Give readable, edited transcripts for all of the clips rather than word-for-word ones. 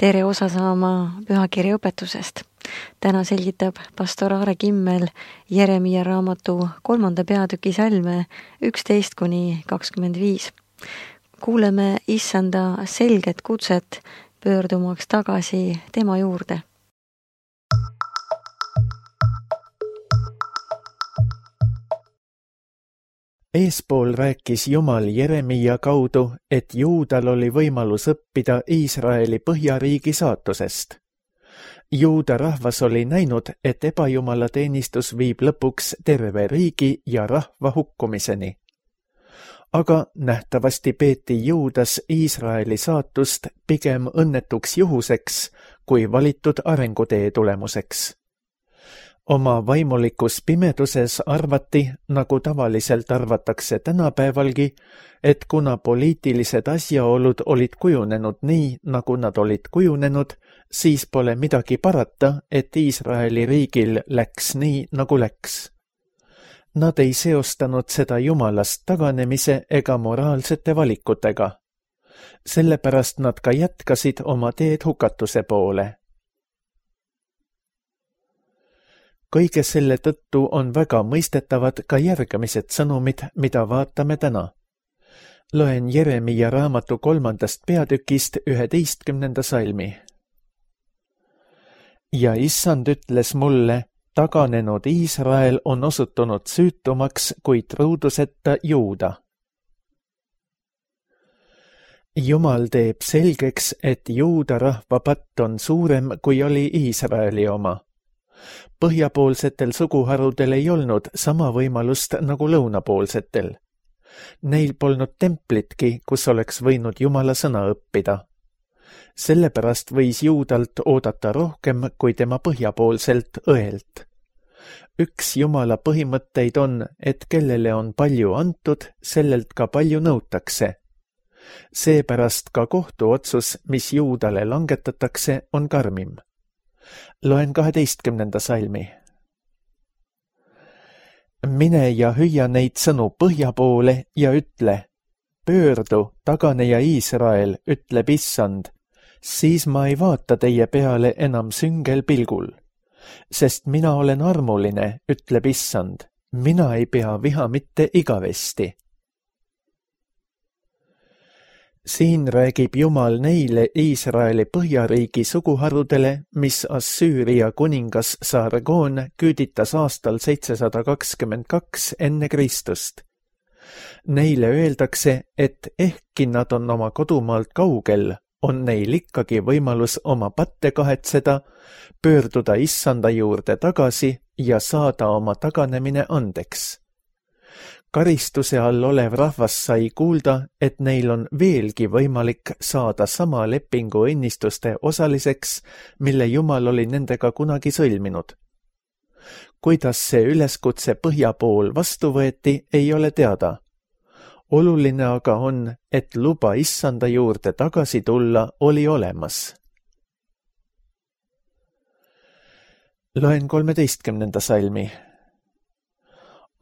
tere osa saama pühakirja õpetusest. Täna selgitab pastor Aare Kimmel Jeremia raamatu 3. peatüki salme 11-25. Kuuleme issanda selget kutset pöördumaks tagasi tema juurde. Eespool rääkis Jumal Jeremia kaudu, et Juudal oli võimalus õppida Iisraeli põhjariigi saatusest. Juuda rahvas oli näinud, et ebajumala teenistus viib lõpuks terve riigi ja rahva hukkumiseni. Aga nähtavasti peeti Juudas Iisraeli saatust pigem õnnetuks juhuseks kui valitud arengutee tulemuseks. Oma vaimulikus pimeduses arvati, nagu tavaliselt arvatakse tänapäevalgi, et kuna poliitilised asjaolud olid kujunenud nii, nagu nad olid kujunenud, siis pole midagi parata, et Iisraeli riigil läks nii, nagu läks. Nad ei seostanud seda Jumalast taganemise ega moraalsete valikutega. Sellepärast nad ka jätkasid oma teed hukatuse poole. Kõige selle tõttu on väga mõistetavad ka järgmised sõnumid, mida vaatame täna. Loen Jeremia raamatu 3. peatükist 11. salmi. Ja issand ütles mulle, taganenud Iisrael on osutunud süütumaks kui truuduseta Juuda. Jumal teeb selgeks, et Juuda rahva patt on suurem, kui oli Iisraeli oma. Põhjapoolsetel suguharudel ei olnud sama võimalust nagu lõunapoolsetel. Neil polnud templitki, kus oleks võinud Jumala sõna õppida. Sellepärast võis Juudalt oodata rohkem kui tema põhjapoolselt õelt. Üks Jumala põhimõtteid on, et kellele on palju antud, sellelt ka palju nõutakse. Seepärast ka kohtuotsus, mis Juudale langetatakse, on karmim. Loen 12. salmi. Mine ja hüüa neid sõnu põhja poole ja ütle, pöördu, taganeja Iisrael, ütleb issand, siis ma ei vaata teie peale enam süngel pilgul. Sest mina olen armuline, ütleb issand, mina ei pea viha mitte igavesti. Siin räägib Jumal neile Iisraeli põhjariigi suguharudele, mis Assüüria kuningas Sargon küüditas aastal 722 enne Kristust. Neile öeldakse, et ehkki nad on oma kodumaalt kaugel, on neil ikkagi võimalus oma patte kahetseda, pöörduda issanda juurde tagasi ja saada oma taganemine andeks. Karistuse all olev rahvas sai kuulda, et neil on veelgi võimalik saada sama lepingu õnnistuste osaliseks, mille Jumal oli nendega kunagi sõlminud. Kuidas see üleskutse põhja pool vastu võeti, ei ole teada. Oluline aga on, et luba issanda juurde tagasi tulla oli olemas. Loen 13. salmi.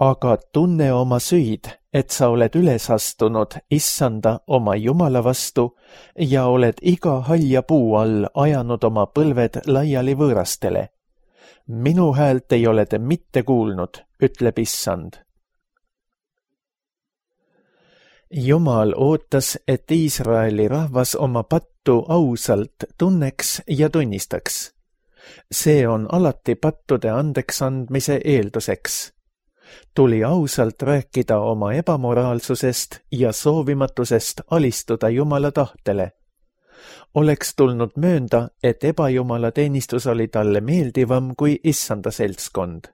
Aga tunne oma süid, et sa oled üles astunud issanda oma Jumala vastu ja oled iga halja puu all ajanud oma põlved laiali võõrastele. Minu häält ei ole te mitte kuulnud, ütleb issand. Jumal ootas, et Iisraeli rahvas oma pattu ausalt tunneks ja tunnistaks. See on alati pattude andeks andmise eelduseks. Tuli ausalt rääkida oma ebamoraalsusest ja soovimatusest alistuda Jumala tahtele. Oleks tulnud möönda, et ebajumala teenistus oli talle meeldivam kui issanda seltskond.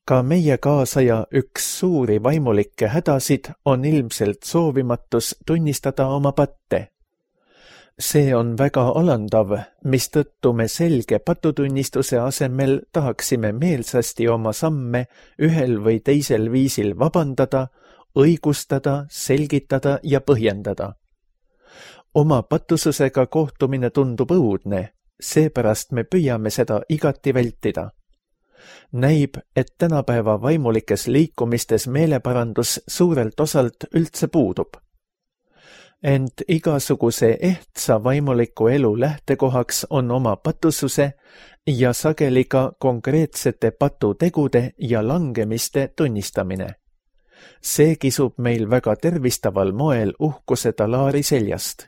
Ka meie kaasaja üks suuri vaimulikke hädasid on ilmselt soovimatus tunnistada oma patte. See on väga alandav, mistõttu me selge patutunnistuse asemel tahaksime meelsasti oma samme ühel või teisel viisil vabandada, õigustada, selgitada ja põhjendada. Oma patususega kohtumine tundub õudne, seepärast me püüame seda igati vältida. Näib, et tänapäeva vaimulikes liikumistes meeleparandus suurelt osalt üldse puudub. ent igasuguse ehtsa vaimuliku elu lähtekohaks on oma patususe ja sageli ka konkreetsete patutegude ja langemiste tunnistamine. See kisub meil väga tervistaval moel uhkuse talaari seljast.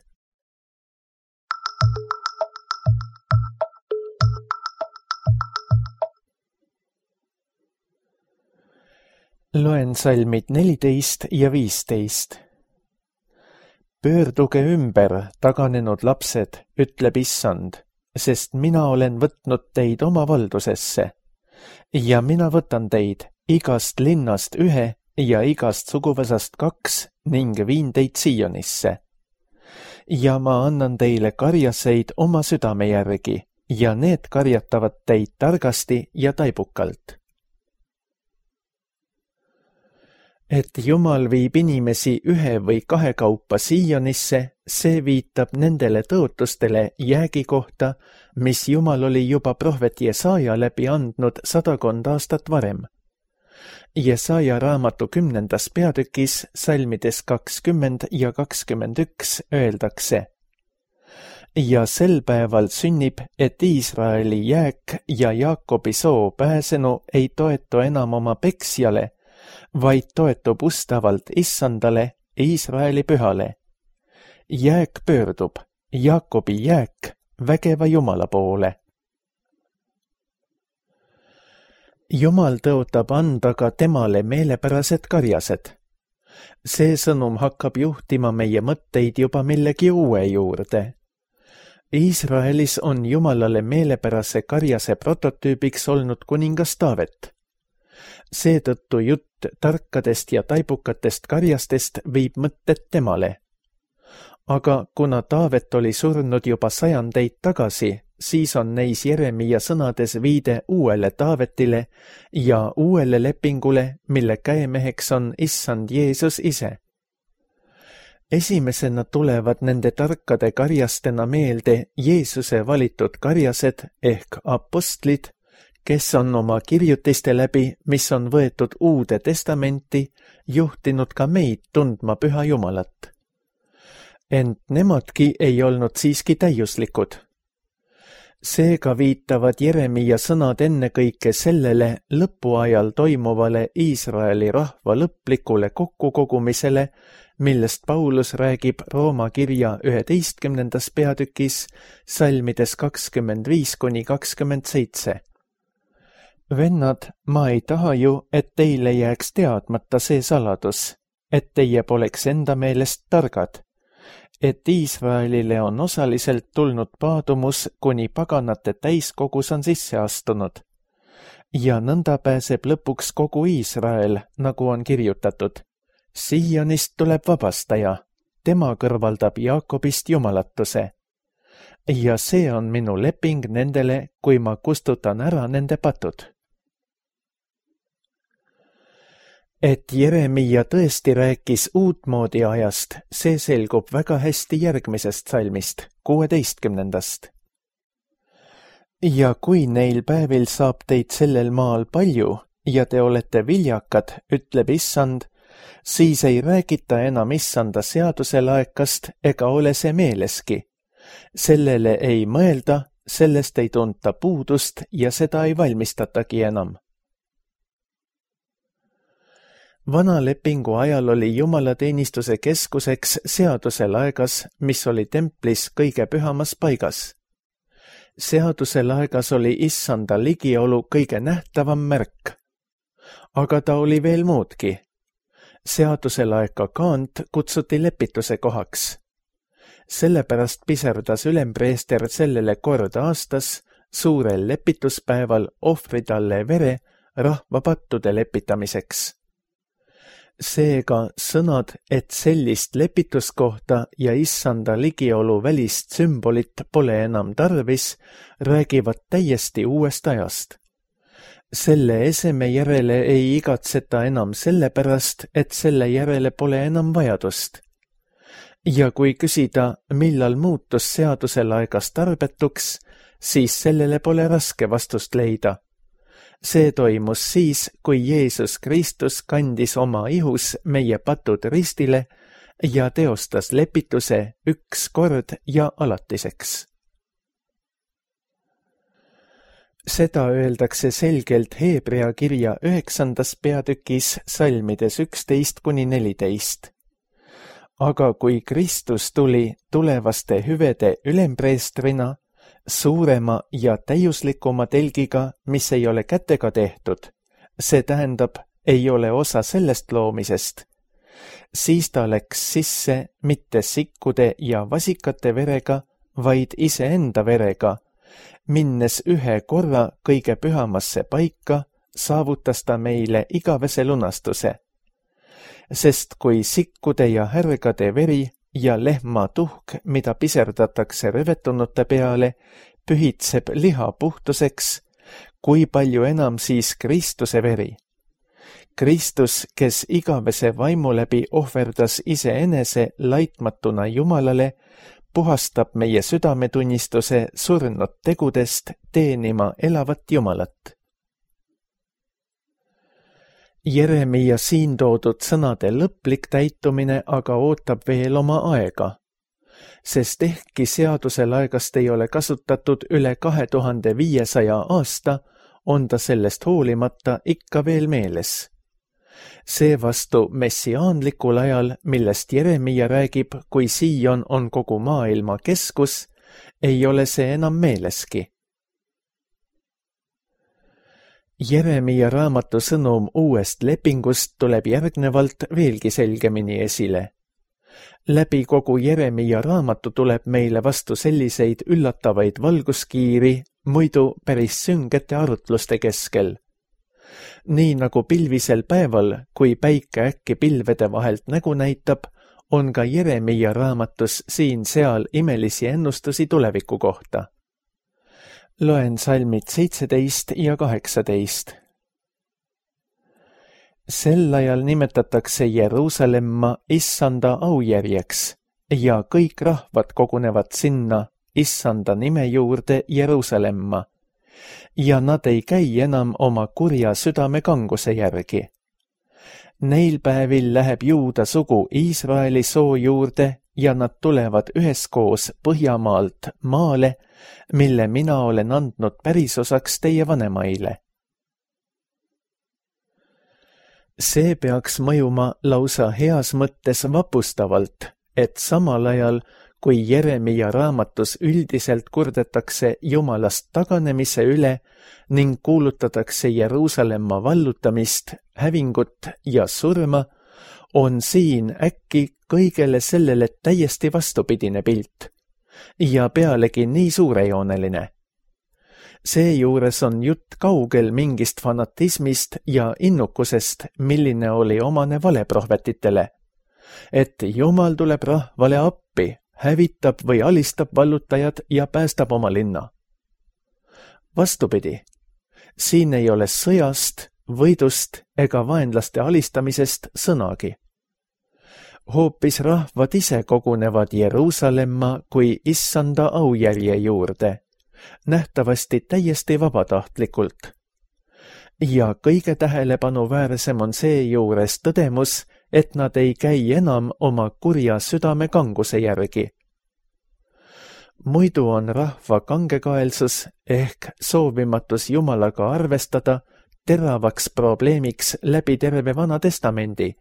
Loen salmid 14 ja 15. Pöörduge ümber, taganenud lapsed, ütleb Issand, sest mina olen võtnud teid oma valdusesse. Ja mina võtan teid igast linnast ühe ja igast suguvõsast 2 ning viin teid Sionisse. Ja ma annan teile karjaseid oma südame järgi ja need karjatavad teid targasti ja taibukalt. Et Jumal viib inimesi ühe või 2 kaupa Sionisse, see viitab nendele tõotustele jäägi kohta, mis Jumal oli juba prohvet Jesaja läbi andnud 100 aastat varem. Jesaja raamatu 10. peatükis salmides 20 ja 21 öeldakse: Ja sel päeval sünnib, et Iisraeli jääk ja Jaakobi soo pääsenu ei toetu enam oma peksjale, vaid toetub ustavalt Issandale, Iisraeli pühale. Jääk pöördub, Jaakobi jääk, vägeva Jumala poole. Jumal tõotab anda ka temale meelepärased karjased. See sõnum hakkab juhtima meie mõtteid juba millegi uue juurde. Iisraelis on Jumalale meelepärase karjase prototüübiks olnud kuningas Taavet. Seetõttu jutt tarkadest ja taibukatest karjastest viib mõtted temale. Aga kuna Taavet oli surnud juba 100 tagasi, siis on neis Jeremia sõnades viide uuele Taavetile ja uuele lepingule, mille käemeheks on Issand Jeesus ise. Esimesena tulevad nende tarkade karjastena meelde Jeesuse valitud karjased ehk apostlid, kes on oma kirjutiste läbi, mis on võetud Uude Testamenti, juhtinud ka meid tundma Püha Jumalat. Ent nemadki ei olnud siiski täiuslikud. Seega viitavad Jeremia sõnad ennekõike sellele lõpuajal toimuvale Iisraeli rahva lõplikule kokkukogumisele, millest Paulus räägib Rooma kirja 11. peatükis salmides 25–27. Vennad, ma ei taha ju, et teile jääks teadmata see saladus, et teie poleks enda meelest targad, et Iisraelile on osaliselt tulnud paadumus, kuni paganate täiskogus on sisse astunud. Ja nõnda pääseb lõpuks kogu Iisrael, nagu on kirjutatud. Sionist tuleb vabastaja, tema kõrvaldab Jaakobist jumalatuse. Ja see on minu leping nendele, kui ma kustutan ära nende patud. Et Jeremia tõesti rääkis uutmoodi ajast, see selgub väga hästi järgmisest salmist, 16. Ja kui neil päevil saab teid sellel maal palju ja te olete viljakad, ütleb Issand, siis ei räägita enam Issanda seaduse laekast ega ole see meeleski. Sellele ei mõelda, sellest ei tunta puudust ja seda ei valmistatagi enam. Vana lepingu ajal oli jumalateenistuse keskuseks seaduse laegas, mis oli templis kõige pühamas paigas. Seaduse laegas oli Issanda ligiolu kõige nähtavam märk. Aga ta oli veel muudki. Seaduse laeka kaant kutsuti lepituse kohaks. Sellepärast piserdas ülempreester sellele kord aastas suurel lepituspäeval ohvri talle vere rahva pattude lepitamiseks. Seega sõnad, et sellist lepituskohta ja Issanda ligiolu välist sümbolit pole enam tarvis, räägivad täiesti uuest ajast. Selle eseme järele ei igatseta enam sellepärast, et selle järele pole enam vajadust. Ja kui küsida, millal muutus seaduse laegas tarbetuks, siis sellele pole raske vastust leida. See toimus siis, kui Jeesus Kristus kandis oma ihus meie patud ristile ja teostas lepituse üks kord ja alatiseks. Seda öeldakse selgelt Heebrea kirja 9. peatükis salmides 11–14. Aga kui Kristus tuli tulevaste hüvede ülempreestrina, suurema ja täiuslikuma telgiga, mis ei ole kätega tehtud, see tähendab, ei ole osa sellest loomisest, siis ta läks sisse mitte sikkude ja vasikate verega, vaid iseenda verega. Minnes ühe korra kõige pühamasse paika, saavutas ta meile igavese lunastuse. Sest kui sikkude ja härgade veri ja lehma tuhk, mida piserdatakse rövetunute peale, pühitseb liha puhtuseks, kui palju enam siis Kristuse veri. Kristus, kes igavese vaimu läbi ohverdas iseenese laitmatuna Jumalale, puhastab meie südametunnistuse surnud tegudest teenima elavat Jumalat. Jeremia siin toodud sõnade lõplik täitumine aga ootab veel oma aega, sest ehkki seadusel aegast ei ole kasutatud üle 2500 aasta, on ta sellest hoolimata ikka veel meeles. Seevastu messiaanlikul ajal, millest Jeremia räägib, kui Siion on kogu maailma keskus, ei ole see enam meeleski. Jeremia raamatu sõnum uuest lepingust tuleb järgnevalt veelgi selgemini esile. Läbi kogu Jeremia raamatu tuleb meile vastu selliseid üllatavaid valguskiiri, muidu päris süngete arutluste keskel. Nii nagu pilvisel päeval, kui päike äkki pilvede vahelt nägu näitab, on ka Jeremia raamatus siin-seal imelisi ennustusi tuleviku kohta. Loen salmid 17 ja 18. Sel ajal nimetatakse Jeruusalemma Issanda aujärjeks ja kõik rahvad kogunevad sinna Issanda nime juurde Jeruusalemma. Ja nad ei käi enam oma kurja südame kanguse järgi. Neil päevil läheb Juuda sugu Iisraeli soo juurde ja nad tulevad üheskoos Põhjamaalt maale, mille mina olen andnud pärisosaks teie vanemaile. See peaks mõjuma lausa heas mõttes vapustavalt, et samal ajal, kui Jeremia raamatus üldiselt kurdetakse Jumalast taganemise üle ning kuulutatakse Jeruusalemma vallutamist, hävingut ja surma, on siin äkki kõigele sellele täiesti vastupidine pilt ja pealegi nii suurejooneline. Seejuures on jutt kaugel mingist fanatismist ja innukusest, milline oli omane valeprohvetitele, et Jumal tuleb rahvale appi, hävitab või alistab vallutajad ja päästab oma linna. Vastupidi, siin ei ole sõjast, võidust ega vaenlaste alistamisest sõnagi. Hoopis rahvad ise kogunevad Jeruusalemma kui Issanda aujärje juurde, nähtavasti täiesti vabatahtlikult. Ja kõige tähelepanu-väärsem on seejuures tõdemus, et nad ei käi enam oma kurja südame kanguse järgi. Muidu on rahva kangekaelsus ehk soovimatus Jumalaga arvestada teravaks probleemiks läbi terve Vana Testamendi,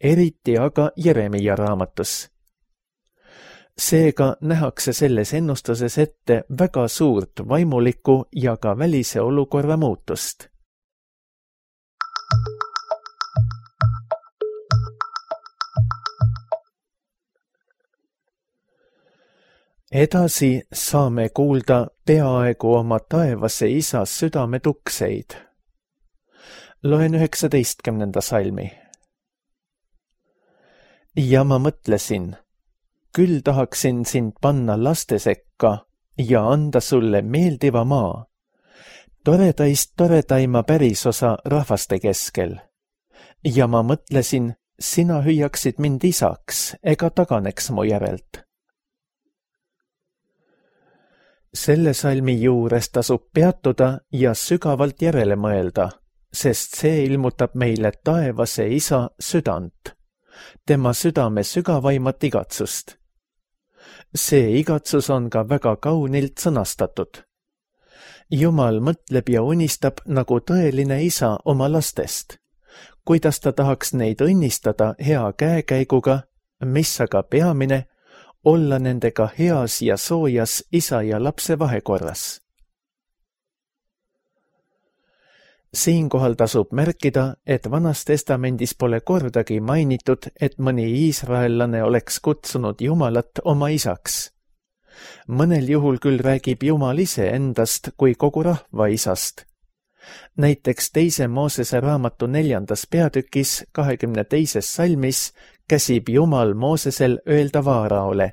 eriti aga Jeremia raamatus. Seega nähakse selles ennustuses ette väga suurt vaimulikku ja ka välise olukorra muutust. Edasi saame kuulda peaaegu oma taevase isa südame tukseid. Loen 19. salmi. Ja ma mõtlesin, küll tahaksin sind panna laste sekka ja anda sulle meeldiva maa, toredaist toredaima pärisosa rahvaste keskel. Ja ma mõtlesin, sina hüüaksid mind isaks ega taganeks mu järelt. Selle salmi juures tasub peatuda ja sügavalt järele mõelda, sest see ilmutab meile taevase isa südant, tema südame sügavaimat igatsust. See igatsus on ka väga kaunilt sõnastatud. Jumal mõtleb ja unistab nagu tõeline isa oma lastest, kuidas ta tahaks neid õnnistada hea käekäiguga, mis aga peamine, olla nendega heas ja soojas isa ja lapse vahekorras. Siinkohal tasub märkida, et Vanas Testamendis pole kordagi mainitud, et mõni iisraellane oleks kutsunud Jumalat oma isaks. Mõnel juhul küll räägib Jumal ise endast kui kogu rahva isast. Näiteks 2. Moosese raamatu 4. peatükis 22. salmis käsib Jumal Moosesel öelda Vaaraole: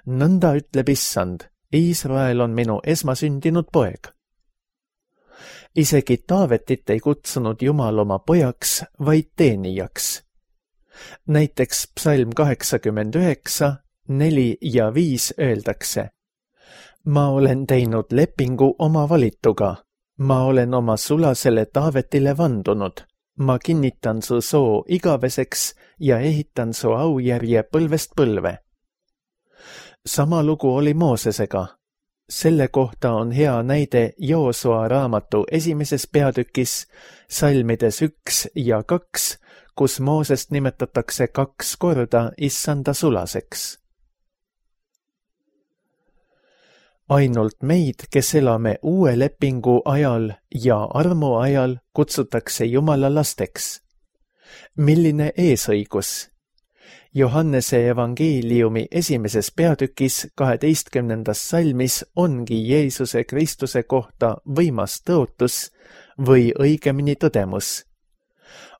nõnda ütleb Issand, Iisrael on minu esmasündinud poeg. Isegi Taavetit ei kutsunud Jumal oma pojaks, vaid teenijaks. Näiteks psalm 89, 4 ja 5 öeldakse: ma olen teinud lepingu oma valituga, ma olen oma sulasele Taavetile vandunud, ma kinnitan su soo igaveseks ja ehitan su aujärje põlvest põlve. Sama lugu oli Moosesega. Selle kohta on hea näide Joosua raamatu 1. peatükis, salmides 1 ja 2, kus Moosest nimetatakse 2 korda issanda sulaseks. Ainult meid, kes elame uue lepingu ajal ja armu ajal, kutsutakse Jumala lasteks. Milline eesõigus! Johannese evangeeliumi 1. peatükis 12. salmis ongi Jeesuse Kristuse kohta võimas tõotus või õigemini tõdemus.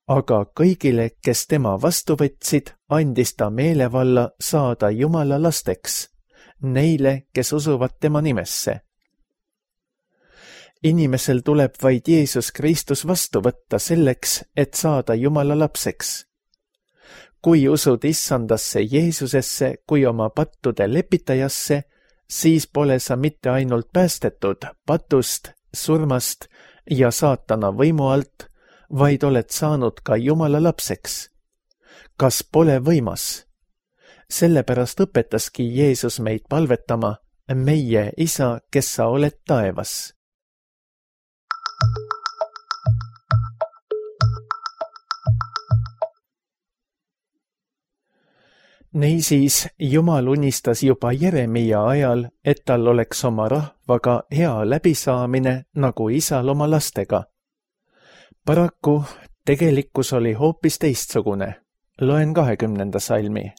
Aga kõigile, kes tema vastu võtsid, andis ta meelevalla saada Jumala lasteks, neile, kes usuvad tema nimesse. Inimesel tuleb vaid Jeesus Kristus vastu võtta selleks, et saada Jumala lapseks. Kui usud issandasse Jeesusesse kui oma pattude lepitajasse, siis pole sa mitte ainult päästetud patust, surmast ja saatana võimu alt, vaid oled saanud ka Jumala lapseks. Kas pole võimas? Sellepärast õpetaski Jeesus meid palvetama: meie isa, kes sa oled taevas. Niisiis, Jumal unistas juba Jeremia ajal, et tal oleks oma rahvaga hea läbisaamine nagu isal oma lastega. Paraku tegelikkus oli hoopis teistsugune. Loen 20. salmi.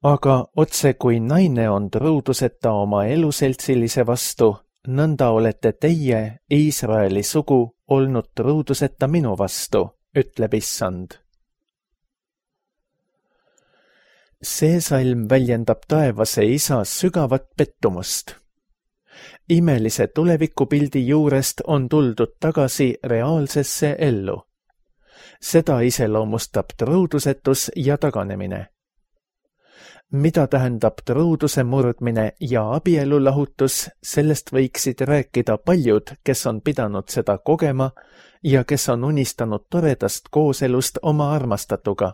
Aga otse kui naine on truuduseta oma eluseltsilise vastu, nõnda olete teie, Iisraeli sugu, olnud truuduseta minu vastu, ütleb issand. See salm väljendab taevase isa sügavat pettumust. Imelise tulevikupildi juurest on tuldud tagasi reaalsesse ellu. Seda iseloomustab truudusetus ja taganemine. Mida tähendab truuduse murdmine ja abielulahutus, sellest võiksid rääkida paljud, kes on pidanud seda kogema ja kes on unistanud toredast kooselust oma armastatuga.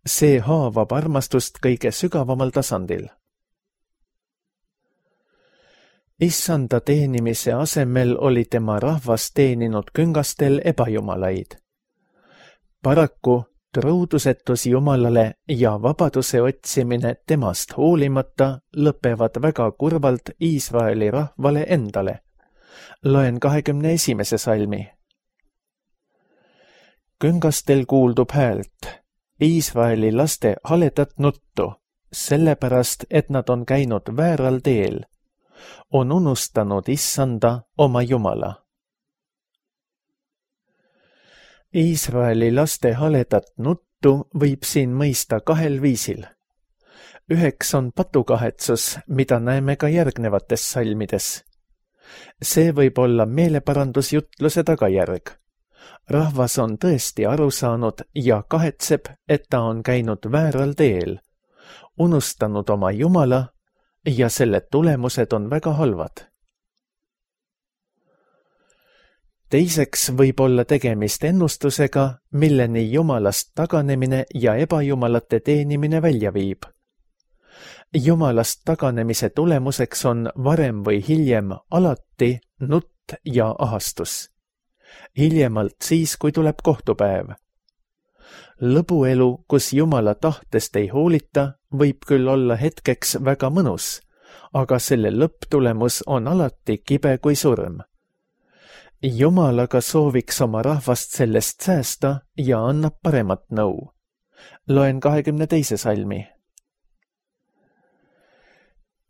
See haavab armastust kõige sügavamal tasandil. Issanda teenimise asemel oli tema rahvas teeninud küngastel ebajumalaid. Paraku truudusetus Jumalale ja vabaduse otsimine temast hoolimata lõpevad väga kurvalt Iisraeli rahvale endale. Loen 21. salmi. Küngastel kuuldub häält, Iisraeli laste haledat nuttu, sellepärast, et nad on käinud vääral teel, on unustanud issanda oma Jumala. Iisraeli laste haledat nuttu võib siin mõista kahel viisil. Üheks on patukahetsus, mida näeme ka järgnevates salmides. See võib olla meeleparandusjutluse tagajärg. Rahvas on tõesti aru saanud ja kahetseb, et ta on käinud vääral teel, unustanud oma Jumala ja selle tulemused on väga halvad. Teiseks võib olla tegemist ennustusega, milleni jumalast taganemine ja ebajumalate teenimine välja viib. Jumalast taganemise tulemuseks on varem või hiljem alati nutt ja ahastus. Hiljemalt siis, kui tuleb kohtupäev. Lõbuelu, kus Jumala tahtest ei hoolita, võib küll olla hetkeks väga mõnus, aga selle lõpptulemus on alati kibe kui surm. Jumal aga sooviks oma rahvast sellest säästa ja annab paremat nõu. Loen 22. salmi.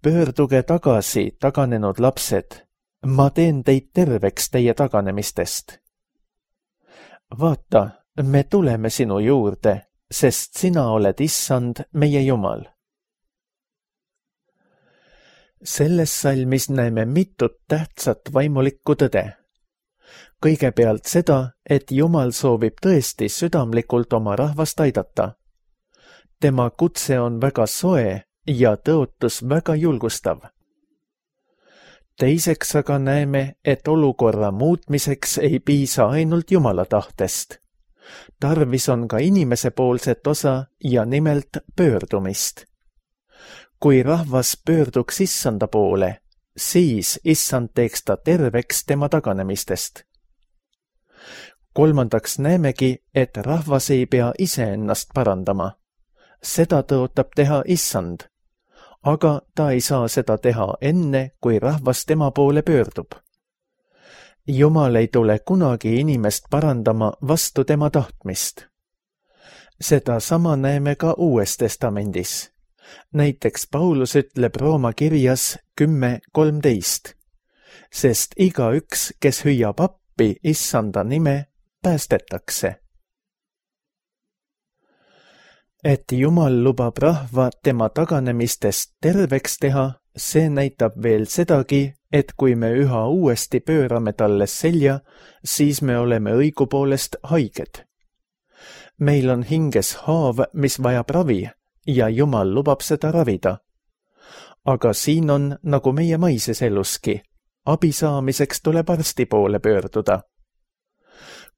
Pöörduge tagasi, taganenud lapsed, ma teen teid terveks teie taganemistest. Vaata, me tuleme sinu juurde, sest sina oled Issand, meie Jumal. Selles salmis näeme mitut tähtsat vaimulikku tõde. Kõigepealt seda, et Jumal soovib tõesti südamlikult oma rahvast aidata. Tema kutse on väga soe ja tõotus väga julgustav. Teiseks aga näeme, et olukorra muutmiseks ei piisa ainult Jumala tahtest. Tarvis on ka inimesepoolset osa ja nimelt pöördumist. Kui rahvas pöörduks Issanda poole, siis Issand teeks ta terveks tema taganemistest. Kolmandaks näemegi, et rahvas ei pea iseennast parandama. Seda tõotab teha Issand, aga ta ei saa seda teha enne, kui rahvas tema poole pöördub. Jumal ei tule kunagi inimest parandama vastu tema tahtmist. Seda sama näeme ka Uues Testamendis. Näiteks Paulus ütleb Rooma kirjas 10:13, sest igaüks, kes hüüab appi Issanda nime, päästetakse. Et Jumal lubab rahva tema taganemistest terveks teha, see näitab veel sedagi, et kui me üha uuesti pöörame talle selja, siis me oleme õigupoolest haiged. Meil on hinges haav, mis vajab ravi, ja Jumal lubab seda ravida. Aga siin on, nagu meie maises eluski, abi saamiseks tuleb arsti poole pöörduda.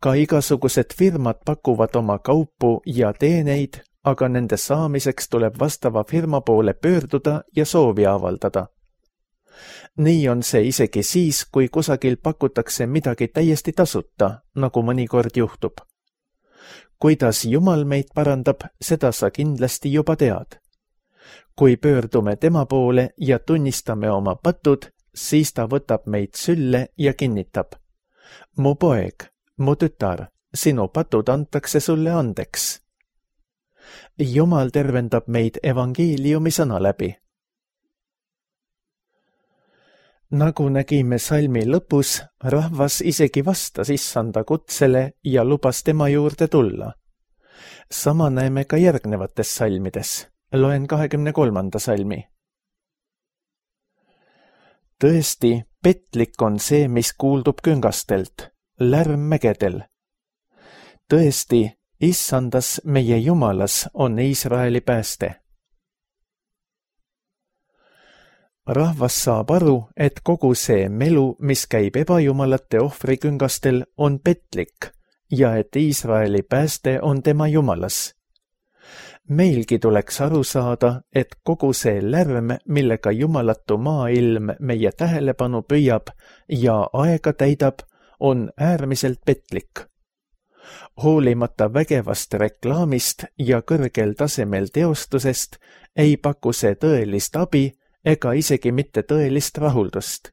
Ka igasugused firmad pakuvad oma kaupu ja teeneid, aga nende saamiseks tuleb vastava firma poole pöörduda ja soovi avaldada. Nii on see isegi siis, kui kusagil pakutakse midagi täiesti tasuta, nagu mõnikord juhtub. Kuidas Jumal meid parandab, seda sa kindlasti juba tead. Kui pöördume tema poole ja tunnistame oma patud, siis ta võtab meid sülle ja kinnitab. Mu poeg, mu tütar, sinu patud antakse sulle andeks. Jumal tervendab meid evangeeliumi sõna läbi. Nagu nägime salmi lõpus, rahvas isegi vastas Issanda kutsele ja lubas tema juurde tulla. Sama näeme ka järgnevates salmides. Loen 23. salmi. Tõesti, petlik on see, mis kuuldub küngastelt, lärm mägedel. Tõesti, Issandas meie Jumalas on Iisraeli pääste. Rahvas saab aru, et kogu see melu, mis käib ebajumalate ohvriküngastel, on petlik ja et Iisraeli pääste on tema Jumalas. Meilgi tuleks aru saada, et kogu see lärm, millega jumalatu maailm meie tähelepanu püüab ja aega täidab, on äärmiselt petlik. Hoolimata vägevast reklaamist ja kõrgel tasemel teostusest ei paku see tõelist abi ega isegi mitte tõelist rahuldust.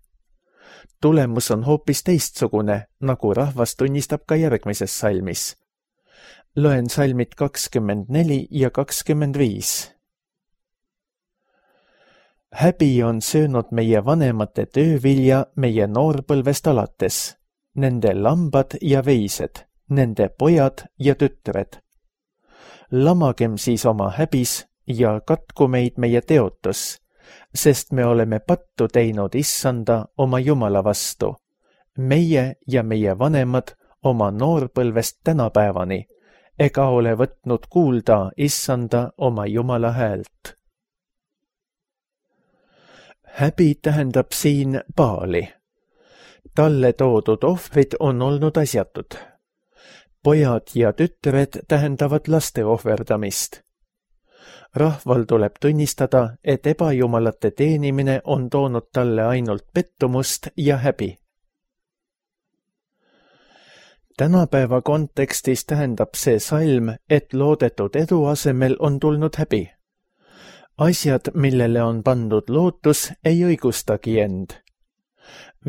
Tulemus on hoopis teistsugune, nagu rahvas tunnistab ka järgmises salmis. Loen salmid 24 ja 25. Häbi on söönud meie vanemate töövilja meie noorpõlvest alates, nende lambad ja veised, nende pojad ja tütred. Lamagem siis oma häbis ja katku meid meie teotus, sest me oleme pattu teinud Issanda oma Jumala vastu, meie ja meie vanemad oma noorpõlvest tänapäevani, ega ole võtnud kuulda Issanda oma Jumala häält. Häbi tähendab siin Baali. Talle toodud ohvrid on olnud asjatud. Pojad ja tütred tähendavad laste ohverdamist. Rahval tuleb tunnistada, et ebajumalate teenimine on toonud talle ainult pettumust ja häbi. Tänapäeva kontekstis tähendab see salm, et loodetud edu asemel on tulnud häbi. Asjad, millele on pandud lootus, ei õigustagi end.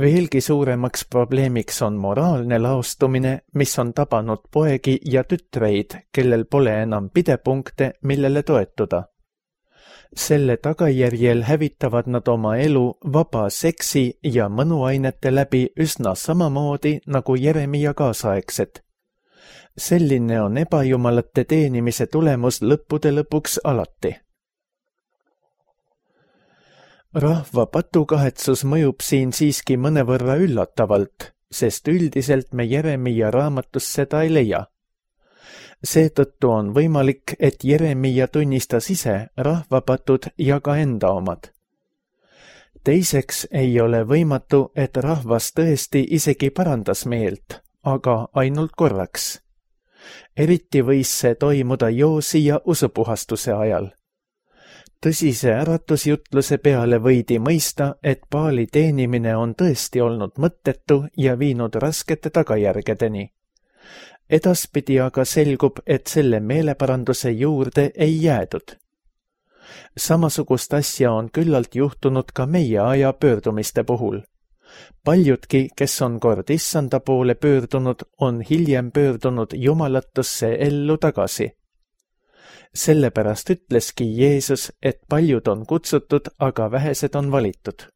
Veelgi suuremaks probleemiks on moraalne laostumine, mis on tabanud poegi ja tütreid, kellel pole enam pidepunkte, millele toetuda. Selle tagajärjel hävitavad nad oma elu vaba seksi ja mõnuainete läbi üsna samamoodi nagu Jeremia kaasaegsed. Selline on ebajumalate teenimise tulemus lõppude lõpuks alati. Rahva patukahetsus mõjub siin siiski mõnevõrra üllatavalt, sest üldiselt me Jeremia raamatus seda ei leia. Seetõttu on võimalik, et Jeremia tunnistas ise rahvapatud ja ka enda omad. Teiseks ei ole võimatu, et rahvas tõesti isegi parandas meelt, aga ainult korraks. Eriti võis see toimuda Joosi ja usupuhastuse ajal. Tõsise äratusjutluse peale võidi mõista, et Baali teenimine on tõesti olnud mõttetu ja viinud raskete tagajärgedeni. Edaspidi aga selgub, et selle meeleparanduse juurde ei jäädud. Samasugust asja on küllalt juhtunud ka meie aja pöördumiste puhul. Paljudki, kes on kord issanda poole pöördunud, on hiljem pöördunud jumalatusse ellu tagasi. Sellepärast ütleski Jeesus, et paljud on kutsutud, aga vähesed on valitud.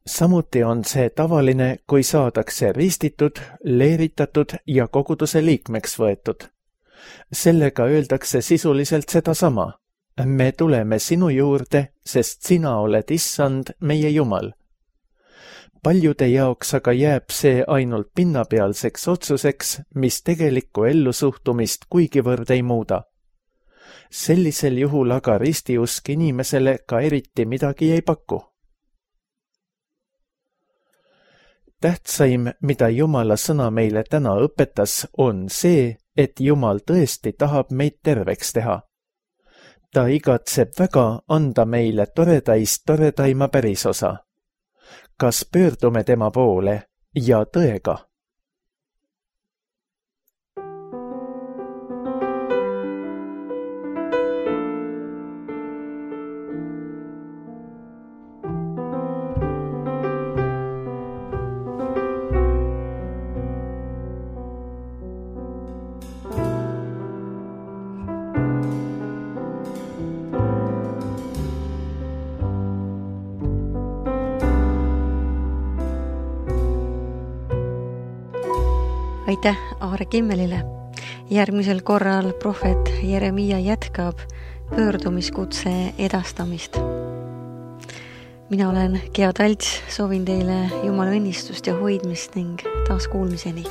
Samuti on see tavaline, kui saadakse ristitud, leeritatud ja koguduse liikmeks võetud. Sellega öeldakse sisuliselt sedasama. Me tuleme sinu juurde, sest sina oled issand, meie Jumal. Paljude jaoks aga jääb see ainult pinnapealseks otsuseks, mis tegelikku ellusuhtumist kuigivõrd ei muuda. Sellisel juhul aga ristiusk inimesele ka eriti midagi ei paku. Tähtsaim, mida Jumala sõna meile täna õpetas, on see, et Jumal tõesti tahab meid terveks teha. Ta igatseb väga anda meile toredaima pärisosa. Kas pöördume tema poole ja tõega? Aitäh Aare Kimmelile. Järgmisel korral prohvet Jeremia jätkab pöördumiskutse edastamist. Mina olen Gea Talts, soovin teile Jumala õnnistust ja hoidmist ning taas kuulmiseni.